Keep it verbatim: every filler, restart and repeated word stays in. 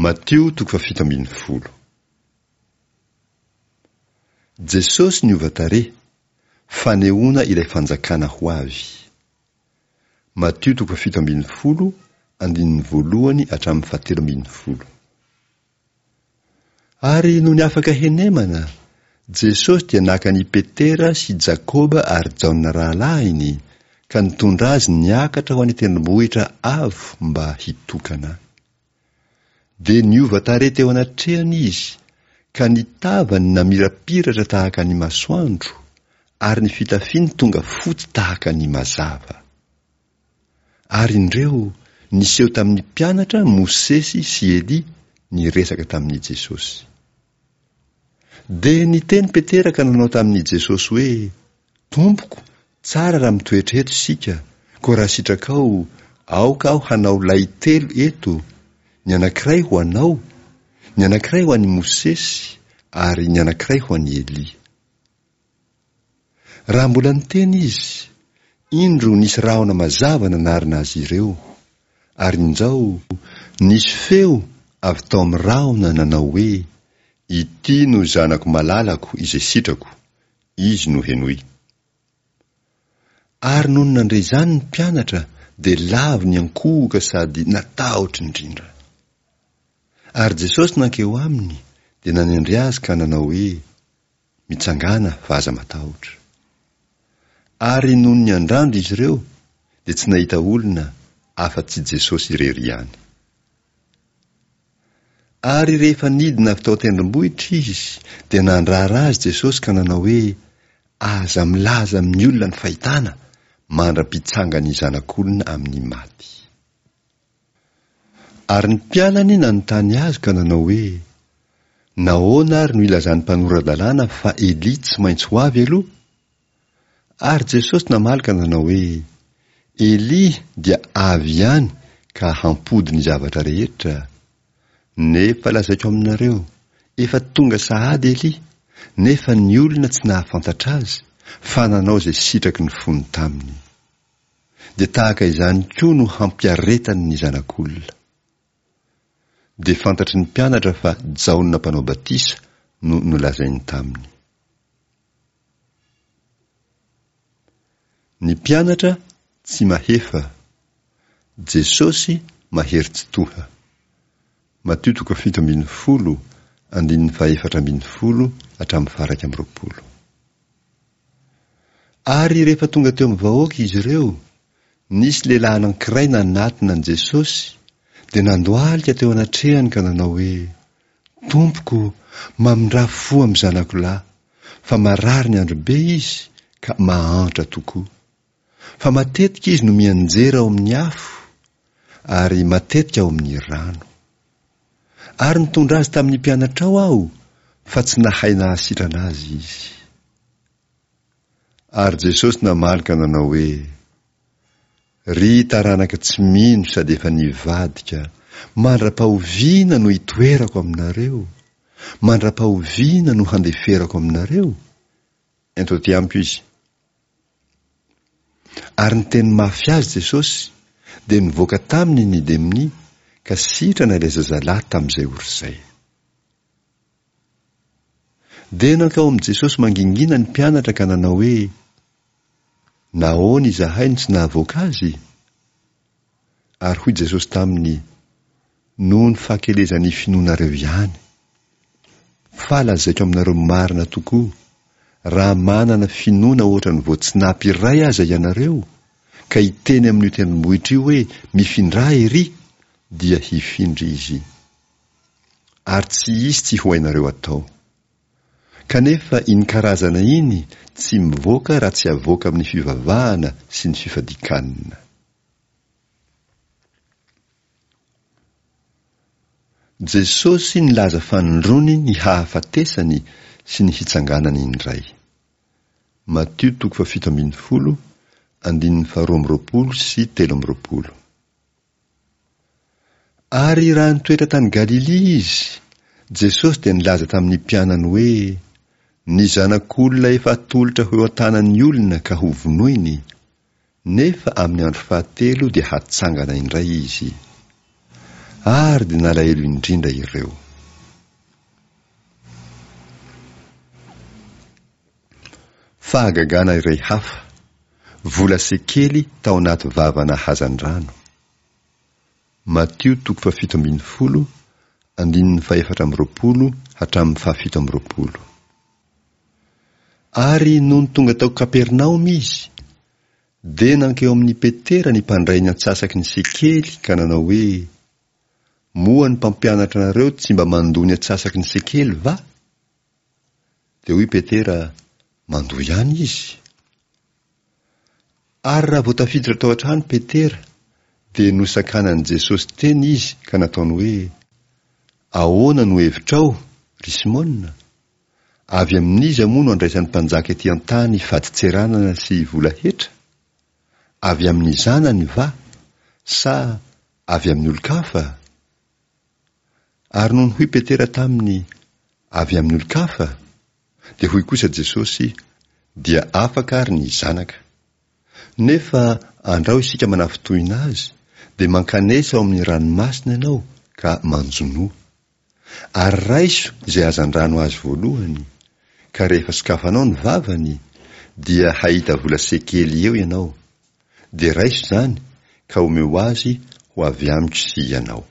Matio toko fahafito ambin'ny folo. Jesosy niova tarehy, fanehoana ilay fanjakana ho avy. Matio toko fahafito ambin'ny folo, andininy voalohany hatramin'ny fahatelo ambin'ny folo. Ary nony afaka henemana, Jesosy dia naka an'i Petera sy Jakoba ary Jaona rahalahiny ka nitondra azy niakatra ho any an-tendrombohitra avo mba hitokana. Dia niova tarehy teo anatrehany izy, ka ny tavany namirapiratra tahaka ny masoandro, ary ny fitafiany tonga fotsy tahaka ny mazava. Ary indreo, niseho tamin'ny mpianatra Mosesy sy Elia niresaka tamin'i Jesosy. Dia niteny Petera ka nanao tamin'i Jesosy hoe, Tompoko, tsara raha mitoetra eto isika, koa raha sitrakao, aoka aho hanao lay telo eto, ny anankiray ho anao, ny anankiray ho an'i Mosesy, ary ny anankiray ho an'i Elia. Raha mbola niteny izy, indro nisy rahona mazava nanarona azy ireo, ary injao, nisy feo avy tao amin'ny rahona nanao hoe, Ity no Zanako malalako izay sitrako, Izy no henoy. Ary nony nandre izany ny mpianatra dia lavo niankohoka sady natahotra indrindra. Ary Jesosy nankeo aminy dia nanendry azy ka nanao hoe, Mitsangàna fa aza matahotra. Ary nony niandrandra izy ireo dia tsy nahita olona afa-tsy Jesosy irery ihany. Ary rehefa nidina avy tao an-tendrombohitra izy dia nandrara azy Jesosy ka nanao hoe, Aza milaza amin'ny olona ny fahitana mandra-pitsangan'ny Zanak'olona amin'ny maty. Ary ny mpianany nanontany azy ka nanao hoe, Nahoana ary no ilazan'ny mpanora-dalàna fa Elia tsy maintsy ho avy aloha? Ary Jesosy namaly ka nanao hoe, Elia dia avy ihany ka hampody ny zavatra rehetra. Nefa lazaiko aminareo, efa tonga sahady Elia, nefa ny olona tsy nahafantatra azy, fa nanao izay sitraky ny fony taminy. Dia tahaka izany koa no hampiaretany ny Zanak'olona. Dia fantatry ny mpianatra fa Jaona Mpanao Batisa no nolazainy taminy. Ny mpianatra tsy mahefa, Jesosy mahery tsitoha. Matio toko fito ambin'ny folo, andininy fahefatra ambin'ny folo hatramin'ny faha-iraika amby roapolo. Ary rehefa tonga teo amin'ny vahoaka izy ireo, nisy lehilahy anankiray nanatona an'i Jesosy, dia nandohalika teo anatrehany ka nanao hoe, Tompoko, mamindrà fo amin'ny zanako lahy, fa marary ny andro be izy ka mahantra tokoa. Fa matetika izy no mianjera ao amin'ny afo, ary matetika ao amin'ny rano. Ary nitondra azy tamin'ny mpianatrao aho, fa tsy nahay nahasitrana azy izy. Ary Jesosy namaly ka nanao hoe, Ry taranaka tsy mino sady efa nivadika, mandra-pahoviana no hitoerako aminareo? Mandra-pahoviana no handeferako aminareo? Ento aty amiko izy. Ary niteny mafy azy Jesosy, dia nivoaka taminy ny demonia, ka sitrana ilay zazalahy tamin'izay ora izay. Dia nankao amin'i Jesosy mangingina ny mpianatra ka nanao hoe, Nahoana izahay no tsy nahavoaka azy? Ary hoy Jesosy taminy, Noho ny fahakelezan'ny finoanareo ihany. Fa lazaiko aminareo marina tokoa, raha manana finoana hoatran'ny voatsinapy iray aza ianareo, ka hiteny amin'io tendrombohitra io hoe, 'Mifindrà erỳ', dia hifindra izy. Ary tsy hisy tsy ho hainareo atao. Kanefa iny karazana iny tsy mivoaka raha tsy avoaka amin'ny fivavahana sy ny fifadian-kanina. Jesosy nilaza fanindroany ny hahafatesany sy ny hitsanganany indray. Matio toko fahafito ambin'ny folo, andininy faharoa amby roapolo sy telo amby roapolo. Ary raha nitoetra tany Galilia Izy, Jesosy dia nilaza tamin'ny mpianany hoe, Ny Zanak'olona efa atolotra ho eo an-tanan'ny olona ka hovonoiny, nefa amin'ny andro fahatelo dia hatsangana indray Izy. Ary dia nalahelo indrindra ireo. Fahagagana iray hafa, vola sekely tao anaty vavana hazandrano. Matio toko fahafito ambin'ny folo, andininy fahefatra amby roapolo hatramin'ny fahafito amby roapolo. Ary nony tonga tao Kapernaomy izy, dia nankeo amin'i Petera ny mpandray ny antsasaky ny sekely ka nanao hoe, Moa ny mpampianatra anareo tsy mba mandoa ny antsasaky ny sekely va? Dia hoy Petera, Mandoa ihany izy. Ary raha vao tafiditra tao an-trano Petera, dia nosakanan'i Jesosy teny izy ka nataony hoe, Ahoana no hevitrao, ry Simona? Avy amin'iza moa no andraisan'ny mpanjaka ety an-tany fadintseranana sy vola hetra? Avy amin'ny zanany va, sa avy amin'ny olon-kafa? Ary nony hoy Petera taminy, Avy amin'ny olon-kafa? Dia hoy kosa Jesosy, Dia afaka ary ny zanaka. Nefa andrao isika manafintohina azy, dia mankanesa ao amin'ny ranomasina ianao ka manjonoa. Ary raiso izay hazandrano azo voalohany, ka rehefa sokafanao ny vavany, dia hahita vola sekely eo ianao. Dia raiso izany, ka omeo azy ho avy amiko sy ianao.